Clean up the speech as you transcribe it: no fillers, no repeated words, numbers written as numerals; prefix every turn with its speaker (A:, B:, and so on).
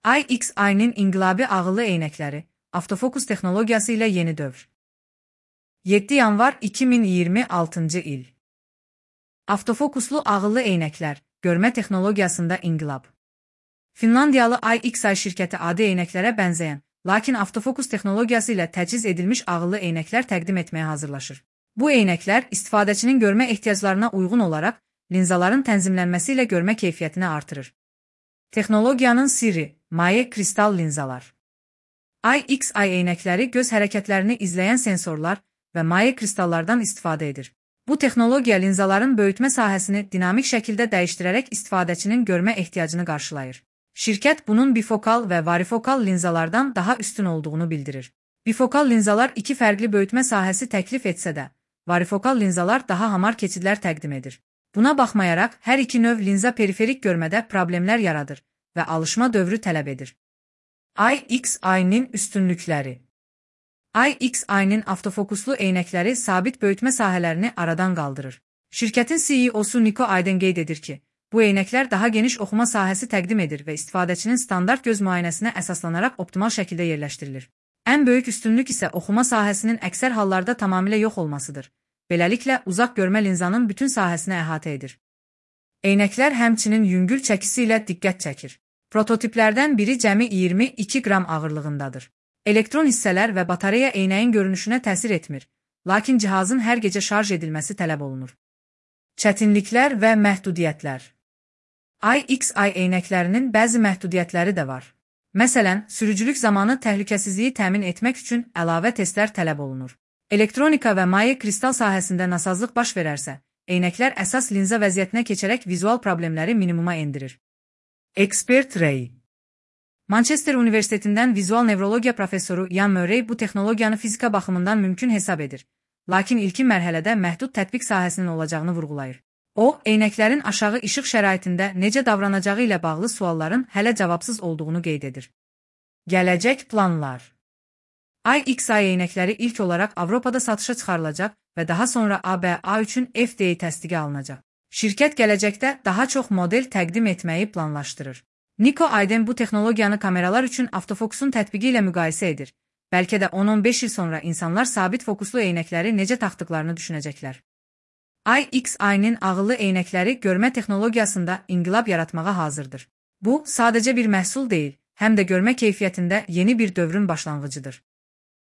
A: IXI-nin inqilabi ağıllı eynəkləri, avtofokus texnologiyası ilə yeni dövr. 7 yanvar 2026-cı il. Avtofokuslu ağıllı eynəklər, görmə texnologiyasında inqilab. Finlandiyalı IXI şirkəti adi eynəklərə bənzəyən, lakin avtofokus texnologiyası ilə təchiz edilmiş ağıllı eynəklər təqdim etməyə hazırlaşır. Bu eynəklər istifadəçinin görmə ehtiyaclarına uyğun olaraq linzaların tənzimlənməsi ilə görmə keyfiyyətini artırır. Texnologiyanın sirri, maye kristal linzalar. IXI eynəkləri göz hərəkətlərini izləyən sensorlar və maye kristallardan istifadə edir. Bu texnologiya linzaların böyütmə sahəsini dinamik şəkildə dəyişdirərək istifadəçinin görmə ehtiyacını qarşılayır. Şirkət bunun bifokal və varifokal linzalardan daha üstün olduğunu bildirir. Bifokal linzalar iki fərqli böyütmə sahəsi təklif etsə də, varifokal linzalar daha hamar keçidlər təqdim edir. Buna baxmayaraq, hər iki növ linza periferik görmədə problemlər yaradır və alışma dövrü tələb edir. IXI-nin üstünlükləri. IXI-nin avtofokuslu eynəkləri sabit böyütmə sahələrini aradan qaldırır. Şirkətin CEO-su Nico Aydın qeyd edir ki, bu eynəklər daha geniş oxuma sahəsi təqdim edir və istifadəçinin standart göz müayinəsinə əsaslanaraq optimal şəkildə yerləşdirilir. Ən böyük üstünlük isə oxuma sahəsinin əksər hallarda tamamilə yox olmasıdır. Beləliklə, uzaq görmə linzanın bütün sahəsini əhatə edir. Eynəklər həmçinin yüngül çəkisi ilə diqqət çəkir. Prototiplərdən biri cəmi 22 qram ağırlığındadır. Elektron hissələr və batareya eynəyin görünüşünə təsir etmir, lakin cihazın hər gecə şarj edilməsi tələb olunur. Çətinliklər və məhdudiyyətlər. IXI eynəklərinin bəzi məhdudiyyətləri də var. Məsələn, sürücülük zamanı təhlükəsizliyi təmin etmək üçün əlavə testlər tələb olunur. Elektronika və maye kristal sahəsində nasazlıq baş verərsə, eynəklər əsas linza vəziyyətinə keçərək vizual problemləri minimuma endirir. Expert Ray. Manchester Universitetindən vizual nevrologiya professoru Ian Murray bu texnologiyanı fizika baxımından mümkün hesab edir, lakin ilkin mərhələdə məhdud tətbiq sahəsinin olacağını vurğulayır. O, eynəklərin aşağı işıq şəraitində necə davranacağı ilə bağlı sualların hələ cavabsız olduğunu qeyd edir. Gələcək planlar. IXI eynəkləri ilk olaraq Avropada satışa çıxarılacaq və daha sonra ABA üçün FDA təsdiqi alınacaq. Şirkət gələcəkdə daha çox model təqdim etməyi planlaşdırır. Nico Aydın bu texnologiyanı kameralar üçün avtofokusun tətbiqi ilə müqayisə edir. Bəlkə də 10-15 il sonra insanlar sabit fokuslu eynəkləri necə taxdıqlarını düşünəcəklər. IXI-nin ağıllı eynəkləri görmə texnologiyasında inqilab yaratmağa hazırdır. Bu, sadəcə bir məhsul deyil, həm də görmə keyfiyyətində yeni bir dövrün başlanğıcıdır.